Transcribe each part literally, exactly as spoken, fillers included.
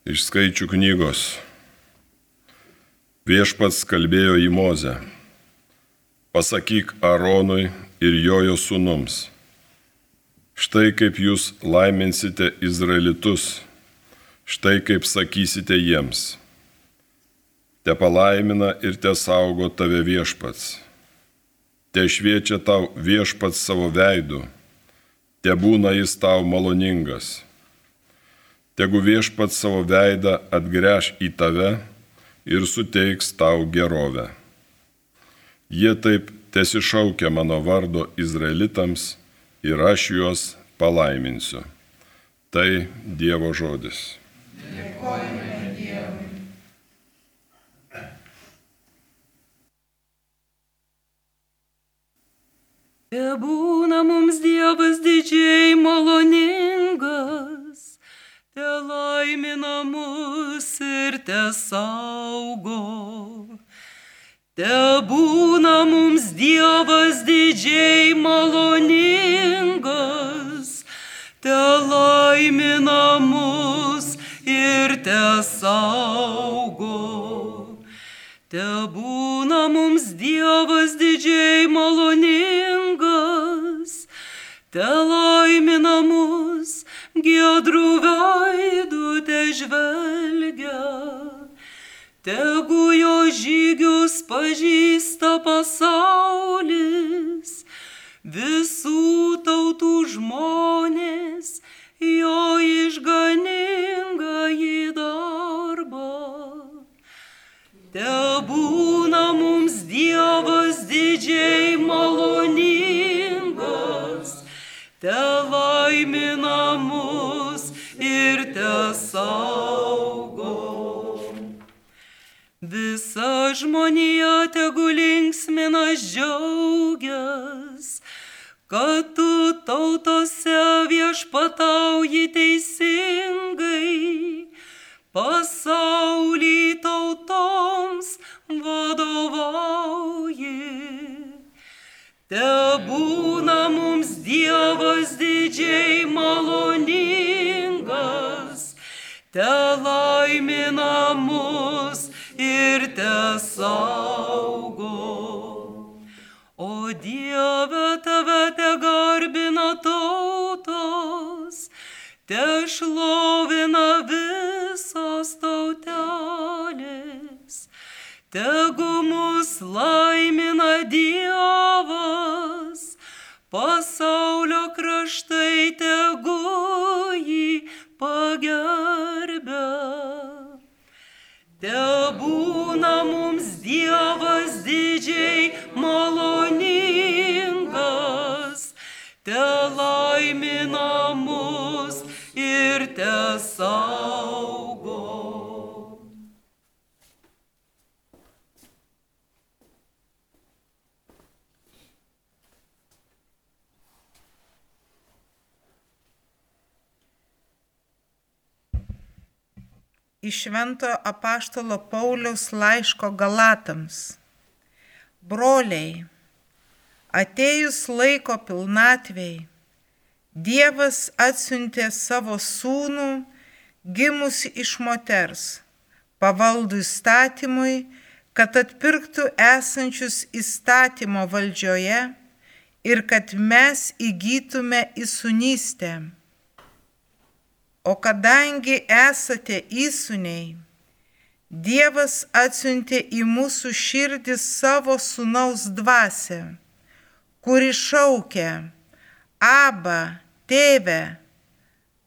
Iš Skaičių knygos. Viešpats kalbėjo į Mozę. Pasakyk Aronui ir jojo sūnums. Štai kaip jūs laiminsite Izraelitus, štai kaip sakysite jiems. Te palaimina ir te saugo tave Viešpats. Te šviečia tau Viešpats savo veidu, te būna jis tau maloningas. Tegu Viešpats savo veidą atgręš į tave ir suteiks tau gerovę. Jie taip tesišaukia mano vardo Izraelitams ir aš juos palaiminsiu. Tai Dievo žodis. Dėkojame Dievui. Tebūna mums Dievas didžiai maloningas, te laimina mus ir te saugo. Tebūna mums Dievas didžiai maloningas, te laimina mus ir te saugo. Tebūna mums Dievas didžiai maloningas, te laimina mus giedrų veidų te žvelgia. Tegu jo žygius pažįsta pasaulis, visų tautų žmonės jo išganingąjį darbą. Tebūna mums Dievas didžiai maloningas, te laimina mus ir te saugo. Visa žmonija tegu linksminas džiaugias, kad tu tautose viešpatauji teisingai, pasaulį tautoms vadovauji. Tebūna mums Dievas didžiai maloningas, te laimina mus ir te saugo. O Dieve, tave te garbina tautos, te šlovina visos tautelės. Tegu mus laimina Dievas, pasaulio kraštai tegu jį pagerbia. Tebūna mums Dievas didžiai maloningas, te laimina mus ir te saugo. Iš Šventojo apaštalo Pauliaus laiško Galatams. Broliai, atėjus laiko pilnatvei, Dievas atsiuntė savo sūnų, gimusi iš moters, pavaldų įstatymui, kad atpirktų esančius įstatymo valdžioje ir kad mes įgytume įsūnystę. O kadangi esate įsūniai, Dievas atsiuntė į mūsų širdį savo sūnaus dvasią, kuri šaukia: Aba, tėve.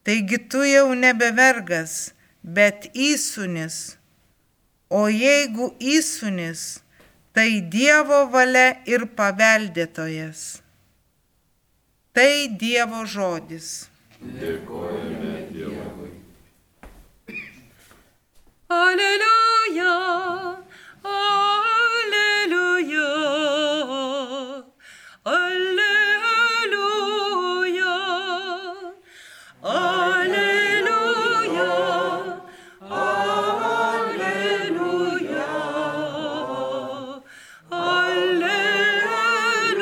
Taigi tu jau nebe vergas, bet įsūnis. O jeigu įsūnis, tai Dievo valia ir paveldėtojas. Tai Dievo žodis. Dėkojame Dievui. Aleliuja, aleliuja, aleliuja, aleliuja, aleliuja,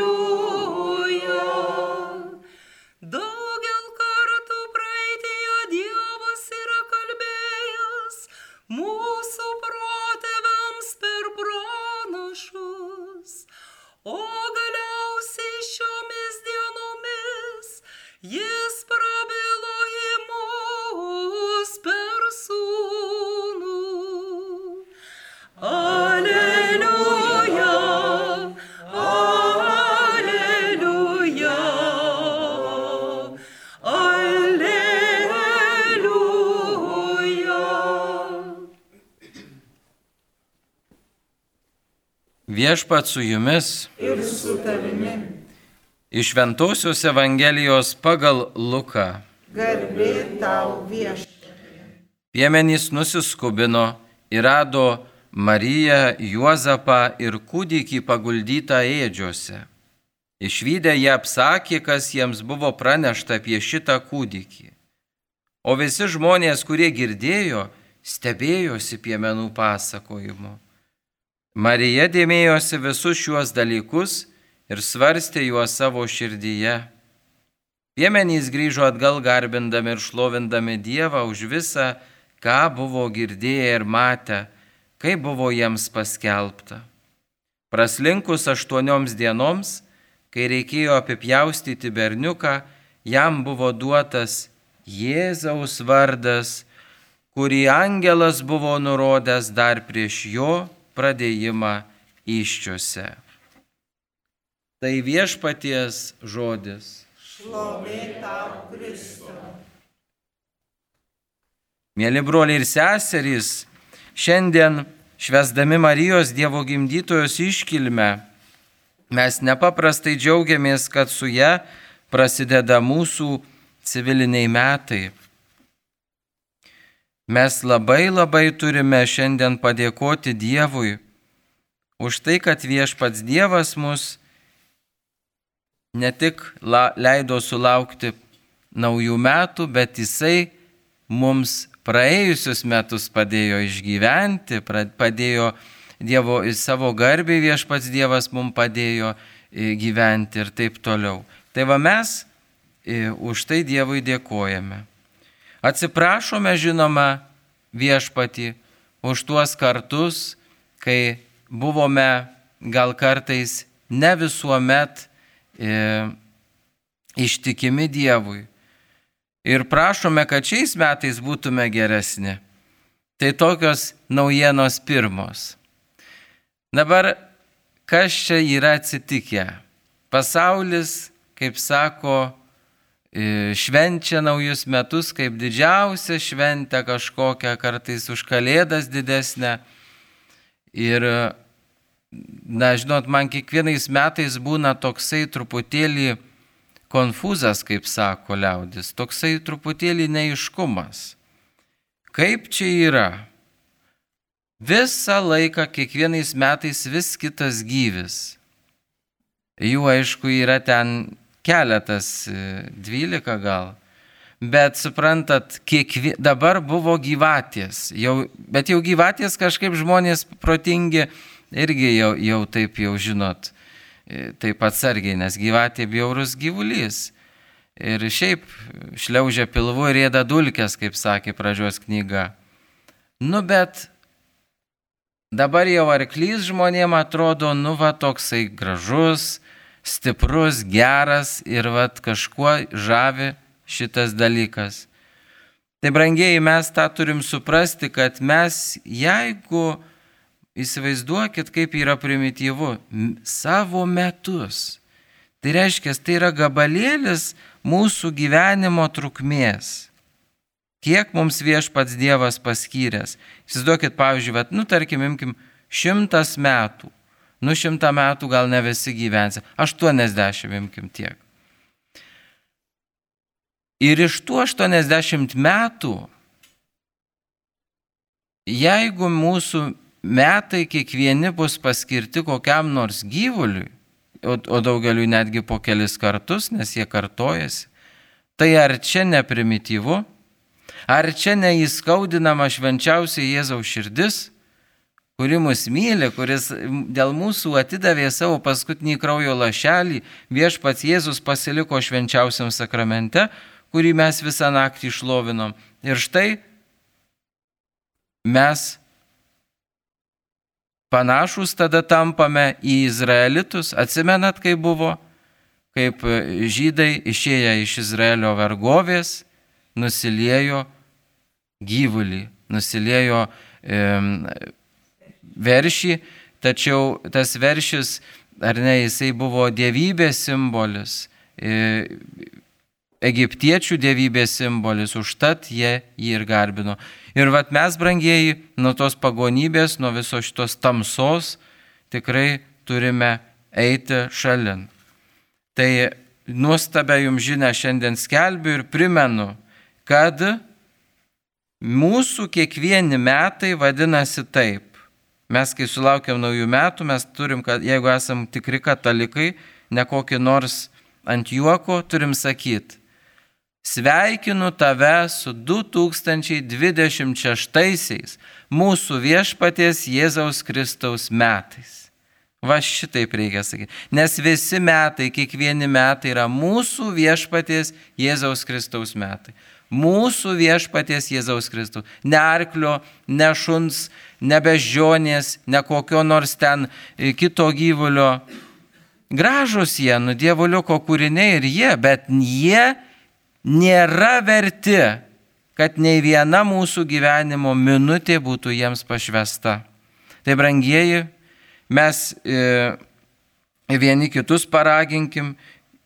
aleliuja. Daugel kartų praeityje Viešpat su jumis. Ir su tavimi. Iš Šventosios Evangelijos pagal Luką. Garbė tau viešpatie. Piemenys nusiskubino ir rado Mariją, Juozapą ir kūdikį paguldytą ėdžiose. Išvydę jie apsakė, kas jiems buvo pranešta apie šitą kūdikį. O visi žmonės, kurie girdėjo, stebėjosi piemenų pasakojimu. Marija dėmėjosi visus šiuos dalykus ir svarstė juos savo širdyje. Piemenys grįžo atgal garbindami ir šlovindami Dievą už visą, ką buvo girdėję ir matę, kaip buvo jiems paskelbta. Praslinkus aštuonioms dienoms, kai reikėjo apipjaustyti berniuką, jam buvo duotas Jėzaus vardas, kurį angelas buvo nurodęs dar prieš jo pradėjimą įsčiose. Tai viešpaties žodis. Šlovė tau, Kristau. Mėly broliai ir seserys, šiandien švęsdami Marijos Dievo gimdytojos iškilmę, mes nepaprastai džiaugiamės, kad su ja prasideda mūsų civiliniai metai. Mes labai labai turime šiandien padėkoti Dievui už tai, kad viešpats Dievas mus ne tik leido sulaukti naujų metų, bet Jisai mums praėjusius metus padėjo išgyventi, padėjo Dievo į savo garbę, viešpats Dievas mums padėjo gyventi ir taip toliau. Tai va mes už tai Dievui dėkojame. Atsiprašome, žinoma, viešpatį už tuos kartus, kai buvome gal kartais ne visuomet e, ištikimi Dievui. Ir prašome, kad šiais metais būtume geresni. Tai tokios naujienos pirmos. Dabar, kas čia yra atsitikę? Pasaulis, kaip sako, švenčia naujus metus kaip didžiausią šventę kažkokią, kartais už Kalėdas didesnę. Ir, na, žinot, man kiekvienais metais būna toksai truputėlį konfūzas, kaip sako liaudis, toksai truputėlį neiškumas. Kaip čia yra? Visą laiką, kiekvienais metais vis kitas gyvis. Jų, aišku, yra ten keletas, dvylika gal. Bet suprantat, kiekvie... dabar buvo gyvatės. Jau... Bet jau gyvatės kažkaip žmonės protingi irgi jau, jau taip jau žinot, taip atsargiai, nes gyvatė bjaurus gyvulys. Ir šiaip šliaužia pilvu ir ėda dulkes, kaip sakė pradžios knyga. Nu bet dabar jau arklys žmonėm atrodo, nu va toksai gražus, stiprus, geras ir vat kažkuo žavi šitas dalykas. Tai brangieji, mes tą turim suprasti, kad mes, jeigu įsivaizduokit, kaip yra primityvu, savo metus, tai reiškia, tai yra gabalėlis mūsų gyvenimo trukmės. Kiek mums viešpats Dievas paskyręs. Įsivaizduokit, pavyzdžiui, vat, nu tarkim, imkim, šimtas metų. Nu šimtą metų gal ne visi gyvensi, aštuoniasdešimt imkim tiek. Ir iš tų aštuoniasdešimt metų, jeigu mūsų metai kiekvieni bus paskirti kokiam nors gyvuliui, o, o daugeliui netgi po kelis kartus, nes jie kartojasi, tai ar čia ne primityvu, ar čia neįskaudinama švenčiausiai Jėzaus širdis, kuri mus myli, kuris dėl mūsų atidavė savo paskutinį kraujo lašelį, viešpats Jėzus pasiliko švenčiausiam sakramente, kurį mes visą naktį šlovinom. Ir štai mes panašus tada tampame į izraelitus. Atsimenat, kaip buvo, kaip žydai išėję iš Izraelio vergovės, nusiliejo gyvulį, nusiliejo e, veršį, tačiau tas veršis, ar ne, jisai buvo dievybės simbolis, e, egiptiečių dievybės simbolis, užtat jie jį ir garbino. Ir vat mes, brangieji, nuo tos pagonybės, nuo viso šitos tamsos, tikrai turime eiti šalin. Tai nuostabę jums žinią šiandien skelbiu ir primenu, kad mūsų kiekvieni metai vadinasi taip. Mes, kai sulaukiam naujų metų, mes turim, kad jeigu esam tikri katalikai, ne kokį nors ant juoko, turim sakyti: sveikinu tave su du tūkstančiai dvidešimt šeštaisiais mūsų viešpaties Jėzaus Kristaus metais. Va šitaip reikia sakyti. Nes visi metai, kiekvieni metai yra mūsų viešpaties Jėzaus Kristaus metai. Mūsų viešpaties Jėzaus Kristaus. Ne arklio, ne šuns, ne beždžionės, ne kokio nors ten kito gyvulio. Gražus jie, nu dievuliuko kūriniai ir jie, bet jie nėra verti, kad nei viena mūsų gyvenimo minutė būtų jiems pašvesta. Tai brangieji, mes e, vieni kitus paraginkim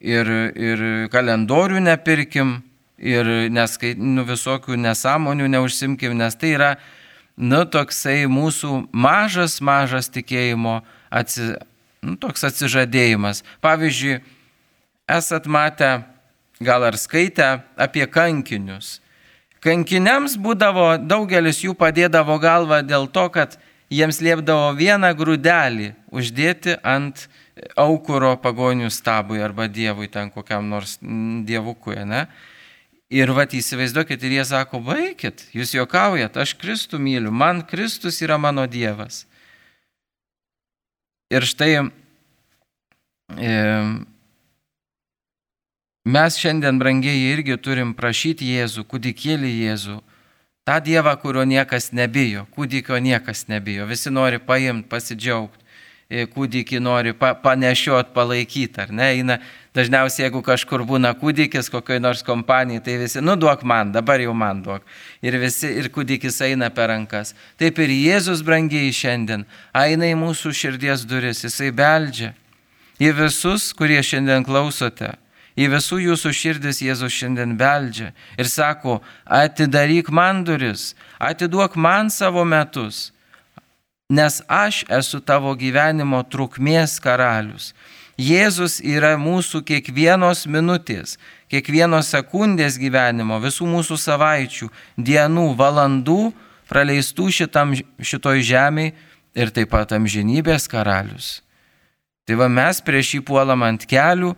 ir, ir kalendorių nepirkim. Ir neskai, nu, visokių nesąmonių neužsimkim, nes tai yra, nu, toksai mūsų mažas, mažas tikėjimo atsi, nu, toks atsižadėjimas. Pavyzdžiui, esat matę, gal ar skaitę apie kankinius. Kankiniams būdavo, daugelis jų padėdavo galvą dėl to, kad jiems liepdavo vieną grūdelį uždėti ant aukuro pagonių stabui arba dievui, ten kokiam nors dievukui, ne? Ir vat įsivaizduokit, ir jie sako: baikit, jūs juokaujat, aš Kristų myliu, man Kristus yra mano Dievas. Ir štai e, mes šiandien, brangieji, irgi turim prašyti Jėzų, kūdikėlį Jėzų, tą Dievą, kurio niekas nebijo, kūdikio niekas nebijo, visi nori paimti, pasidžiaugti. Kūdikį nori pa, panešiot, palaikyti, ar ne? Eina, dažniausiai, jeigu kažkur būna kūdikis, kokioj nors kompanijai, tai visi, nu duok man, dabar jau man duok. Ir visi, ir kūdikis eina per rankas. Taip ir Jėzus, brangiai, šiandien eina į mūsų širdies duris, jisai beldžia. Į visus, kurie šiandien klausote, į visų jūsų širdis Jėzus šiandien beldžia ir sako: atidaryk man duris, atiduok man savo metus. Nes aš esu tavo gyvenimo trukmės karalius. Jėzus yra mūsų kiekvienos minutės, kiekvienos sekundės gyvenimo, visų mūsų savaičių, dienų, valandų praleistų šitam, šitoj žemėj ir taip pat amžinybės karalius. Tai va, mes prieš jį puolam ant kelių,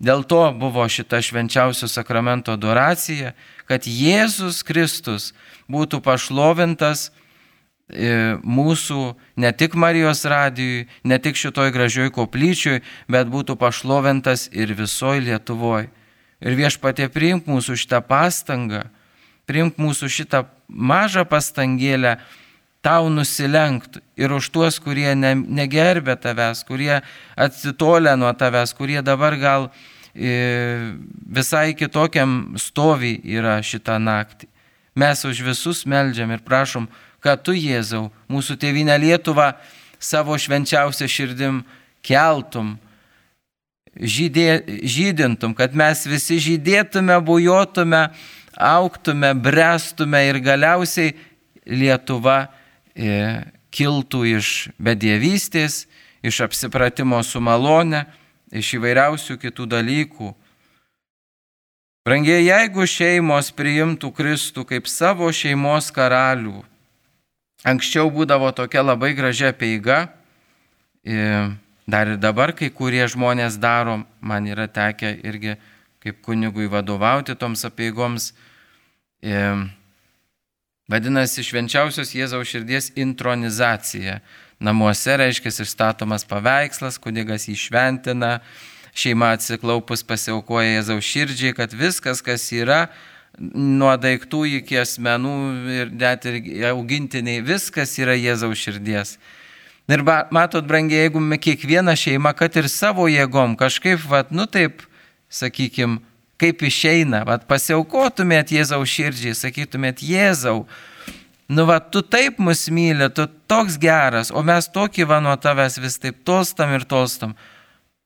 dėl to buvo šita švenčiausio sakramento adoracija, kad Jėzus Kristus būtų pašlovintas mūsų ne tik Marijos radijui, ne tik šitoj gražioj koplyčioj, bet būtų pašlovintas ir visoj Lietuvoj. Ir Viešpatie, priimk mūsų šitą pastangą, priimk mūsų šitą mažą pastangėlę tau nusilenkti ir už tuos, kurie ne, negerbė tavęs, kurie atsitolė nuo tavęs, kurie dabar gal e, visai kitokiam stovy yra šitą naktį. Mes už visus meldžiam ir prašom, kad tu, Jėzau, mūsų tėvynę Lietuvą savo švenčiausią širdim keltum, žydė, žydintum, kad mes visi žydėtume, bujotume, augtume, brestume ir galiausiai Lietuva e, kiltų iš bedievystės, iš apsipratimo su malone, iš įvairiausių kitų dalykų. Brangiai, jeigu šeimos priimtų Kristų kaip savo šeimos karalių, anksčiau būdavo tokia labai gražia apeiga, dar ir dabar kai kurie žmonės daro, man yra tekę irgi kaip kunigui vadovauti toms apeigoms. Vadinasi, švenčiausios Jėzaus širdies intronizacija. Namuose, reiškia, išstatomas paveikslas, kunigas jį šventina, šeima atsiklaupus pasiaukoja Jėzaus širdžiai, kad viskas, kas yra, nuo daiktų iki asmenų ir net ir augintiniai, viskas yra Jėzaus širdies. Ir matot, brangiai, jeigu kiekviena šeima, kad ir savo jėgom kažkaip, vat, nu taip, sakykim, kaip išeina, vat, pasiaukotumėt Jėzaus širdžiai, sakytumėt: Jėzau, nu va, tu taip mus myli, tu toks geras, o mes tokį va nuo tavęs vis taip tolstam ir tolstam.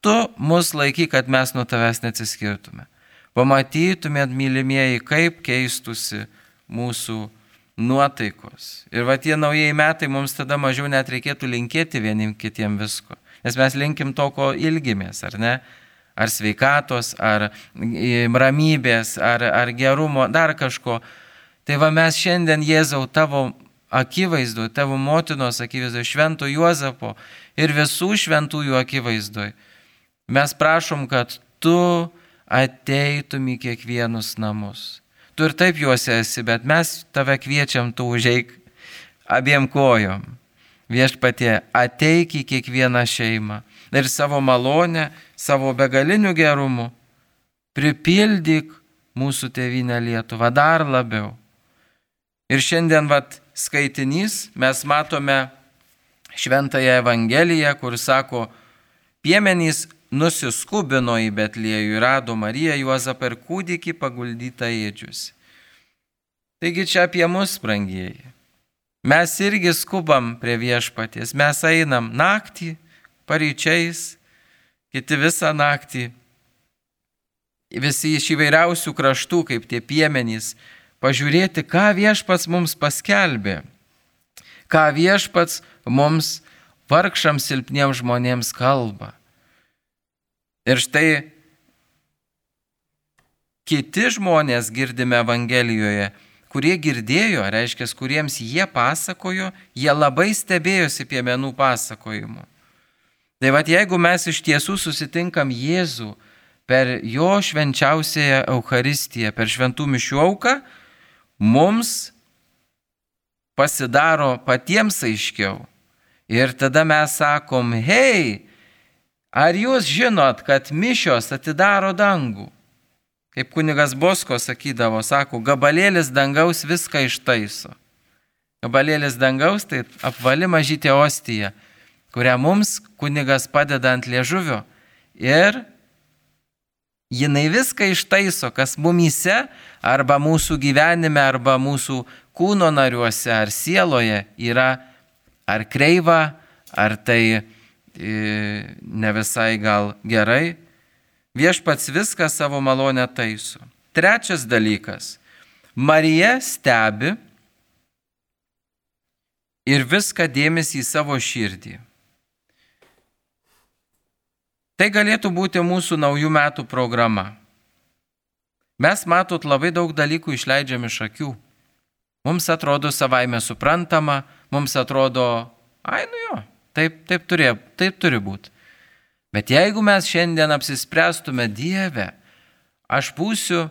Tu mus laikyk, kad mes nuo tavęs neatsiskirtume. Pamatytumėt, mylimieji, kaip keistusi mūsų nuotaikos. Ir va tie naujieji metai mums tada mažiau net reikėtų linkėti vienim kitiem visko. Nes mes linkim to, ko ilgimės, ar ne? Ar sveikatos, ar ramybės, ar, ar gerumo, dar kažko. Tai va mes šiandien, Jėzau, tavo akivaizdu, tavo motinos akivaizdu, švento Juozapo ir visų šventųjų akivaizdoj. Mes prašom, kad tu ateitum į kiekvienus namus. Tu ir taip juose esi, bet mes tave kviečiam, tu užeik abiem kojom. Viešpatie, ateik į kiekvieną šeimą ir savo malonę, savo begalinių gerumų pripildyk mūsų tėvynę Lietuvą dar labiau. Ir šiandien vat skaitinys mes matome Šventąją Evangeliją, kur sako, piemenys nusiskubino į Betliejų ir rado Mariją, Juozapą ir kūdikį paguldytą ėdžiuose. Taigi čia apie mus, brangieji. Mes irgi skubam prie viešpaties, mes einam naktį, paryčiais, kiti visą naktį, visi iš įvairiausių kraštų, kaip tie piemenys, pažiūrėti, ką viešpats mums paskelbė, ką viešpats mums vargšams silpniems žmonėms kalba. Ir štai kiti žmonės girdime Evangelijoje, kurie girdėjo, reiškia, kuriems jie pasakojo, jie labai stebėjosi piemenų pasakojimu. Tai vat jeigu mes iš tiesų susitinkam Jėzų per jo švenčiausiąją Eucharistiją, per šventų mišių auką, mums pasidaro patiems aiškiau. Ir tada mes sakom, hei, ar jūs žinot, kad mišios atidaro dangų? Kaip kunigas Bosko sakydavo, sako, gabalėlis dangaus viską ištaiso. Gabalėlis dangaus tai apvali mažytė ostija, kurią mums kunigas padeda ant liežuvio. Ir jinai viską ištaiso, kas mumyse, arba mūsų gyvenime, arba mūsų kūno nariuose, ar sieloje yra ar kreiva, ar tai ne visai gal gerai. Viešpats viską savo malonę taiso. Trečias dalykas. Marija stebi ir viską dėmesį į savo širdį. Tai galėtų būti mūsų naujų metų programa. Mes, matot, labai daug dalykų išleidžiam iš akių. Mums atrodo savaime suprantama, mums atrodo, ai nu jo, taip, taip, turė, taip turi būti. Bet jeigu mes šiandien apsispręstume, Dieve, aš būsiu,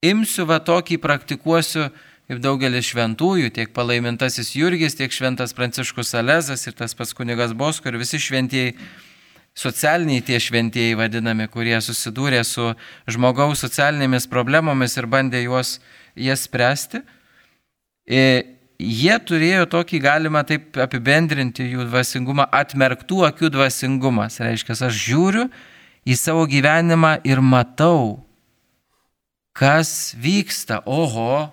imsiu va tokį, praktikuosiu, kaip daugelis šventųjų, tiek palaimintasis Jurgis, tiek šventas Pranciškus Salezas ir tas pats kunigas Bosko ir visi šventieji, socialiniai tie šventieji vadinami, kurie susidūrė su žmogaus socialinėmis problemomis ir bandė juos, jas spręsti. Ir jie turėjo tokį, galima taip apibendrinti jų dvasingumą, atmerktų akių dvasingumas. Reiškia, aš žiūriu į savo gyvenimą ir matau, kas vyksta. Oho,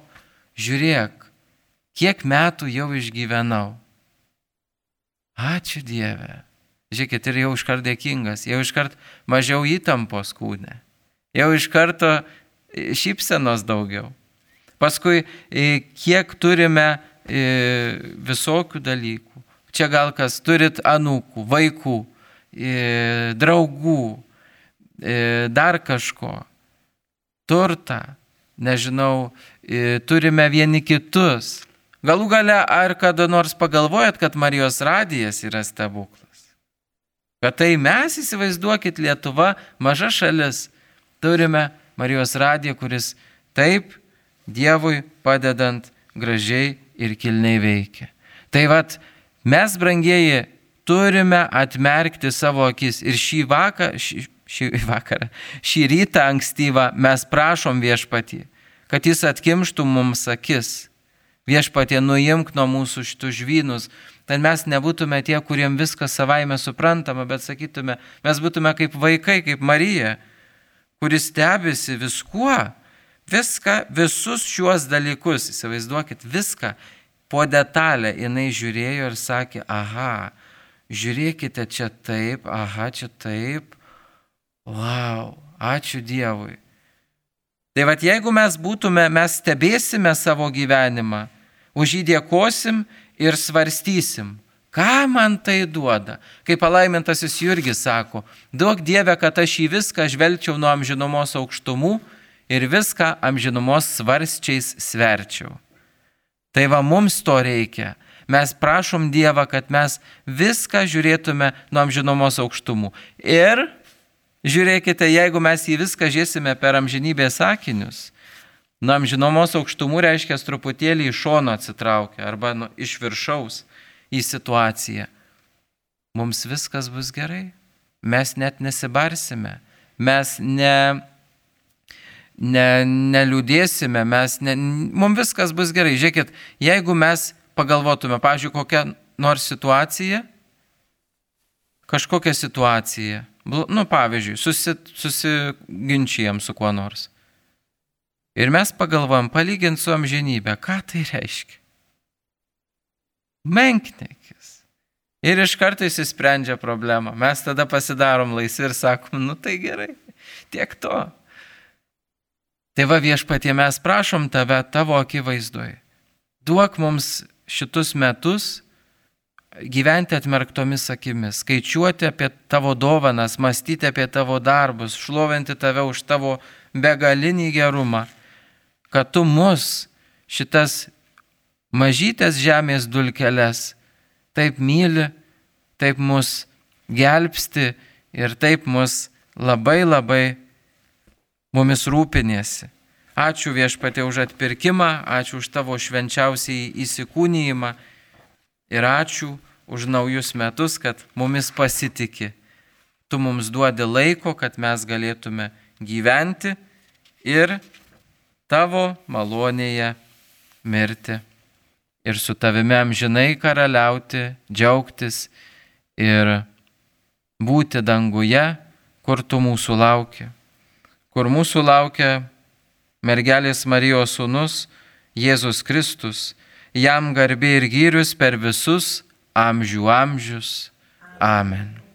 žiūrėk, kiek metų jau išgyvenau. Ačiū Dieve. Žiūrėkit, ir jau iškart dėkingas, jau iškart mažiau įtampos kūne, jau iš karto šypsenos daugiau. Paskui, kiek turime visokių dalykų. Čia gal kas turit anūkų, vaikų, draugų, dar kažko, turtą, nežinau, turime vieni kitus. Galų gale, ar kada nors pagalvojat, kad Marijos radijas yra stebuklas? Kad tai mes, įsivaizduokit, Lietuva, maža šalis, turime Marijos radiją, kuris taip Dievui padedant gražiai ir kilniai veikia. Tai vat, mes, brangieji, turime atmerkti savo akis. Ir šį vakarą, šį, šį vakarą, šį rytą ankstyvą mes prašom Viešpatį, kad jis atkimštų mums akis. Viešpatie, nuimk nuo mūsų šitų žvynus. Tai mes nebūtume tie, kuriem viskas savaime suprantama, bet sakytume, mes būtume kaip vaikai, kaip Marija, kuris stebisi viskuo. Viską, visus šiuos dalykus, įsivaizduokit, viską po detalę jinai žiūrėjo ir sakė, aha, žiūrėkite čia taip, aha, čia taip, wow, ačiū Dievui. Tai vad jeigu mes būtume, mes stebėsime savo gyvenimą, už jį dėkosim ir svarstysim, ką man tai duoda. Kaip palaimintasis Jurgis sako, duok Dieve, kad aš į viską žvelgčiau nuo amžinumos aukštumų ir viską amžinumos svarsčiais sverčiau. Tai va mums to reikia. Mes prašom Dievą, kad mes viską žiūrėtume nuo amžinumos aukštumų. Ir žiūrėkite, jeigu mes į viską žiūrėsime per amžinybės akinius, nuo amžinumos aukštumų reiškia truputėlį iš šono atsitraukia arba nu, iš viršaus į situaciją. Mums viskas bus gerai. Mes net nesibarsime. Mes ne, ne, neliūdėsime. Mes ne, mums viskas bus gerai. Žiūrėkit, jeigu mes pagalvotume, pavyzdžiui, kokią nors situaciją, kažkokią situaciją, nu, pavyzdžiui, susi, susiginčijam su kuo nors. Ir mes pagalvojam, palyginti su amžinybė, ką tai reiškia? Menkniekis. Ir iš karto įsisprendžia problema. Mes tada pasidarom laisvi ir sakom, nu tai gerai, tiek to. Tai va Viešpatie, mes prašom tave tavo akivaizdoje. Duok mums šitus metus gyventi atmerktomis akimis, skaičiuoti apie tavo dovanas, mąstyti apie tavo darbus, šlovinti tave už tavo begalinį gerumą, kad tu mus šitas mažytės žemės dulkeles taip myli, taip mus gelbsti ir taip mus labai labai mumis rūpinėsi. Ačiū Viešpatie už atpirkimą, ačiū už tavo švenčiausiai įsikūnijimą ir ačiū už naujus metus, kad mumis pasitiki. Tu mums duodi laiko, kad mes galėtume gyventi ir tavo malonėje mirti. Ir su tavimi amžinai karaliauti, džiaugtis ir būti danguje, kur tu mūsų lauki. Kur mūsų laukia mergelės Marijos sūnus, Jėzus Kristus, jam garbė ir gyrius per visus amžių amžius. Amen.